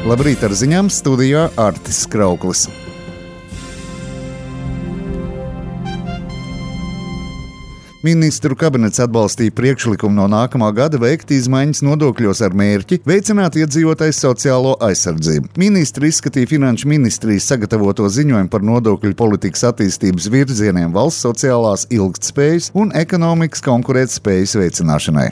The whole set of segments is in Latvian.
Labrīt ar ziņām, studijā Artis Krauklis. Ministru kabinets atbalstīja priekšlikumu no nākamā gada veikt izmaiņas nodokļos ar mērķi veicināt iedzīvotājs sociālo aizsardzību. Ministri izskatīja Finanšu ministrijas sagatavoto ziņojumu par nodokļu politikas attīstības virzieniem valsts sociālās ilgtspējas un ekonomikas konkurētspējas veicināšanai.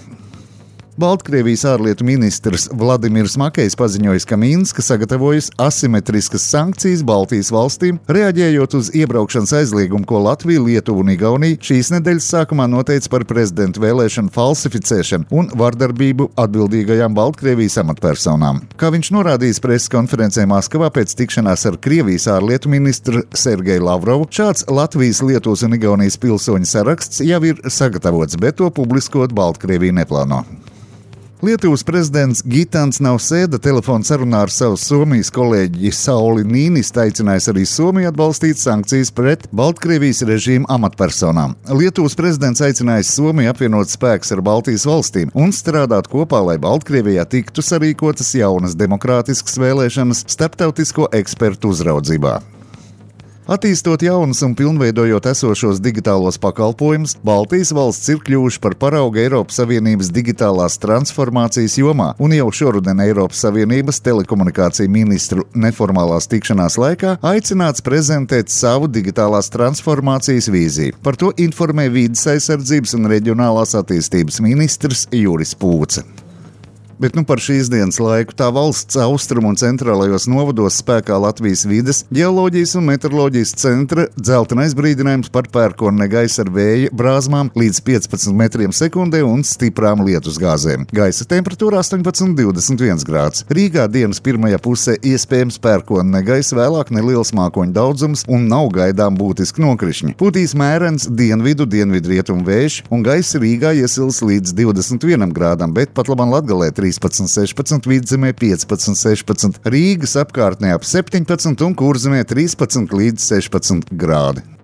Baltkrievijas ārlietu ministrs Vladimirs Makejs paziņoja, ka Minska sagatavojas asimetriskas sankcijas Baltijas valstīm, reaģējot uz iebraukšanas aizliegumu, ko Latvija, Lietuva un Igaunija šīs nedēļas sākumā noteica par prezidentu vēlēšanu falsificēšanu un vardarbību atbildīgajām Baltkrievijas amatpersonām. Kā viņš norādījis preses konferencē Maskavā pēc tikšanās ar Krievijas ārlietu ministru Sergeju Lavrovu, šāds Latvijas, Lietuvas un Igaunijas pilsoņu saraksts jau ir sagatavots, bet to publiskot Baltkrievija neplāno. Lietuvas prezidents Gitans Nausēda telefona sarunā ar savu Somijas kolēģi Sauli Nīnistu aicinājis arī Somiju atbalstīt sankcijas pret Baltkrievijas režīma amatpersonām. Lietuvas prezidents aicinājis Somiju apvienot spēkus ar Baltijas valstīm un strādāt kopā, lai Baltkrievijā tiktu sarīkotas jaunas demokrātiskas vēlēšanas starptautisko ekspertu uzraudzībā. Attīstot jaunus un pilnveidojot esošos digitālos pakalpojumus, Baltijas valsts ir kļuvuši par paraugu Eiropas Savienības digitālās transformācijas jomā, un jau šoruden Eiropas Savienības telekomunikāciju ministru neformālās tikšanās laikā aicināts prezentēt savu digitālās transformācijas vīziju. Par to informē Vides aizsardzības un reģionālās attīstības ministrs Juris Pūce. Bet par šīs dienas laiku tā valsts austrumu un centrālajos novados spēkā Latvijas vides, ģeoloģijas un meteoroloģijas centra dzeltenais brīdinājums par pērkona gaisa ar vēja brāzmām līdz 15 metriem sekundē un stiprām lietusgāzēm. Gaisa temperatūra 18–21 grāds. Rīgā dienas pirmajā pusē iespējams pērkona gaisa, vēlāk neliels mākoņu daudzums un nav gaidām būtiski nokrišņi. Pūtīs mērens dienvidu-dienvidrietumu vējš un gaisa Rīgā iesils līdz 21 grādam, bet pat labam Latgalē 13–16, Vidzemē 15–16, Rīgas apkārtnē ap 17 un Kurzemē 13–16 grādi.